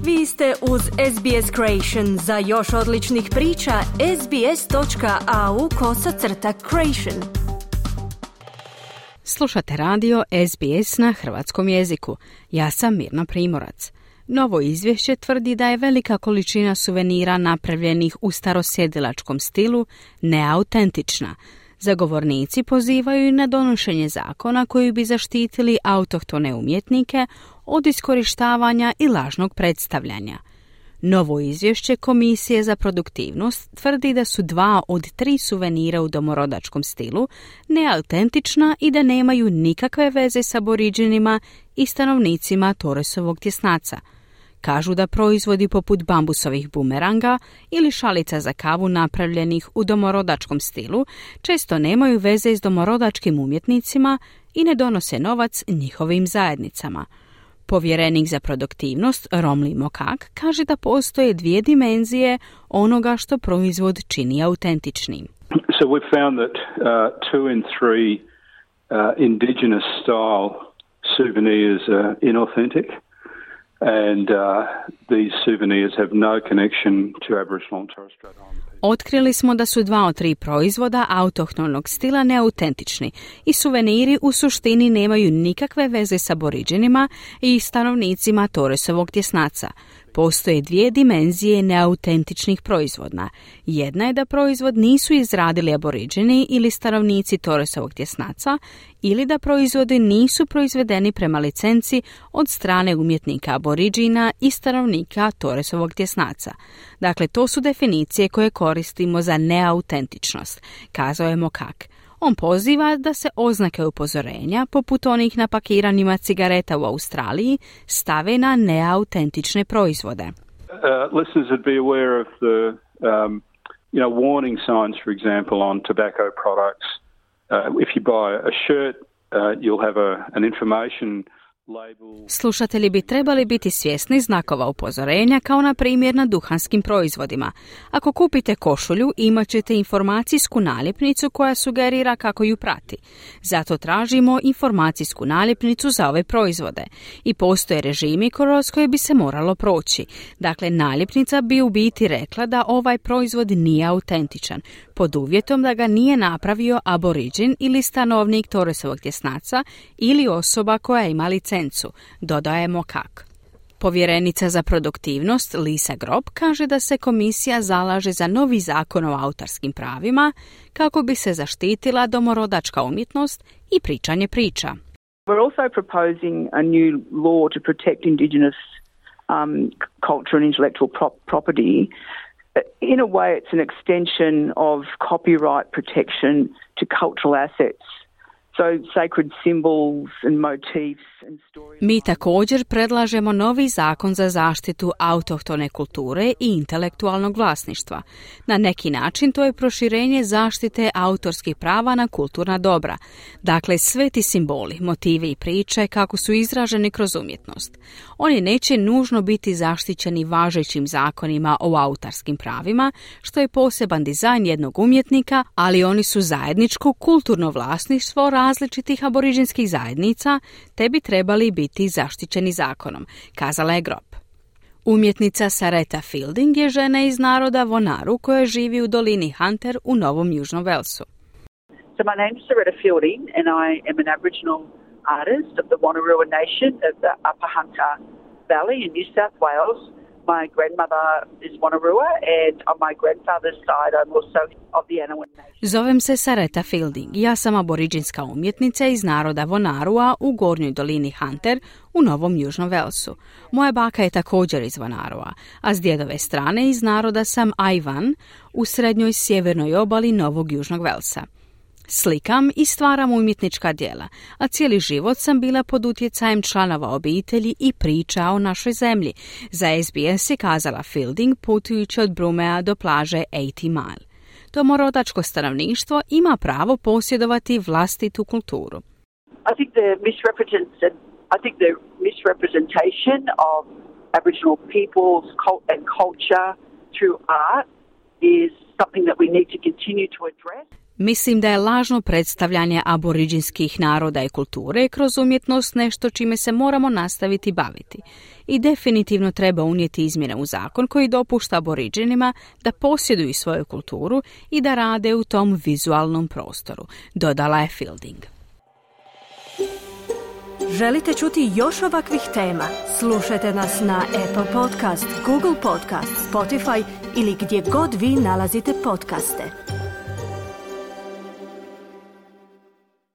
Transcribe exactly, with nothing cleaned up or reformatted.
Vi ste uz S B S Creation. Za još odličnih priča, sbs.au kosacrta creation. Slušate radio S B S na hrvatskom jeziku. Ja sam Mirna Primorac. Novo izvješće tvrdi da je velika količina suvenira napravljenih u starosjedilačkom stilu neautentična. Zagovornici pozivaju na donošenje zakona koji bi zaštitili autohtone umjetnike od iskorištavanja i lažnog predstavljanja. Novo izvješće Komisije za produktivnost tvrdi da su dva od tri suvenira u domorodačkom stilu neautentična i da nemaju nikakve veze s aboriđinima i stanovnicima Torresovog tjesnaca. Kažu da proizvodi poput bambusovih bumeranga ili šalica za kavu napravljenih u domorodačkom stilu često nemaju veze s domorodačkim umjetnicima i ne donose novac njihovim zajednicama. Povjerenik za produktivnost Romli Mokak kaže da postoje dvije dimenzije onoga što proizvod čini autentičnim. So we found that uh, two in three uh, indigenous style souvenirs are inauthentic. And uh, these souvenirs have no connection to Aboriginal and Torres Strait Islander people. Otkrili smo da su dva od tri proizvoda autohtonog stila neautentični i suveniri u suštini nemaju nikakve veze s aboriđinima i stanovnicima Torresovog tjesnaca. Postoje dvije dimenzije neautentičnih proizvoda. Jedna je da proizvod nisu izradili aboriđini ili stanovnici Torresovog tjesnaca ili da proizvodi nisu proizvedeni prema licenci od strane umjetnika aboriđina i stanovnika Torresovog tjesnaca. Dakle, to su definicije koje koristimo za neautentičnost, kazao je Mokak. On poziva da se oznake upozorenja, poput onih na pakiranjima cigareta u Australiji, stave na neautentične proizvode. Uh, listeners would be aware of the um, you know, warning signs, for example, on tobacco products. Uh, if you buy a shirt, uh, you'll have a, an information label. Slušatelji bi trebali biti svjesni znakova upozorenja, kao na primjer na duhanskim proizvodima. Ako kupite košulju, imat ćete informacijsku naljepnicu koja sugerira kako ju prati. Zato tražimo informacijsku naljepnicu za ove proizvode. I postoje režimi kroz koje bi se moralo proći. Dakle, naljepnica bi u biti rekla da ovaj proizvod nije autentičan, pod uvjetom da ga nije napravio aboriđin ili stanovnik Torresovog tjesnaca ili osoba koja ima licencu, dodaje Mokak. Povjerenica za produktivnost Lisa Grob kaže da se komisija zalaže za novi zakon o autorskim pravima kako bi se zaštitila domorodačka umjetnost i pričanje priča. We're also proposing a new law to protect Indigenous um, culture and intellectual pro- property. In a way, it's an extension of copyright protection to cultural assets. So sacred symbols and motifs and stories. Mi također predlažemo novi zakon za zaštitu autohtone kulture i intelektualnog vlasništva. Na neki način to je proširenje zaštite autorskih prava na kulturna dobra. Dakle, sveti simboli, motivi i priče kako su izraženi kroz umjetnost. Oni neće nužno biti zaštićeni važećim zakonima o autorskim pravima, što je poseban dizajn jednog umjetnika, ali oni su zajedničko kulturno vlasništvo različitih aboriđinskih zajednica, te bi trebali biti zaštićeni zakonom, kazala je Grob. Umjetnica Sareta Fielding je žena iz naroda Vonaru koja živi u dolini Hunter u Novom Južnom Velsu. So my name is Sareta Fielding and I am an Aboriginal artist of the Wonnarua Nation of the Upper Hunter Valley in New South Wales. My grandmother is Wonnarua and on my grandfather's side I'm also of the Anawin Nation. Zovem se Sareta Fielding. Ja sam aboriđinska umjetnica iz naroda Vonarua u gornjoj dolini Hunter u Novom Južnom Velsu. Moja baka je također iz Vonarua, a s djedove strane iz naroda sam Aivan u srednjoj sjevernoj obali Novog Južnog Velsa. Slikam i stvaram umjetnička djela, a cijeli život sam bila pod utjecajem članova obitelji i priča o našoj zemlji. Za S B S je kazala Fielding putujući od Brumea do plaže osamdeset mile. Domorodačko stanovništvo ima pravo posjedovati vlastitu kulturu. I think the misrepresentation, I think the misrepresentation of Aboriginal peoples and culture through art is something that we need to continue to address. Mislim da je lažno predstavljanje aboriđinskih naroda i kulture kroz umjetnost nešto čime se moramo nastaviti baviti. I definitivno treba unijeti izmjene u zakon koji dopušta aboriđinima da posjeduju svoju kulturu i da rade u tom vizualnom prostoru, dodala je Fielding. Želite čuti još ovakvih tema? Slušajte nas na Apple Podcast, Google Podcast, Spotify ili gdje god vi nalazite podcaste.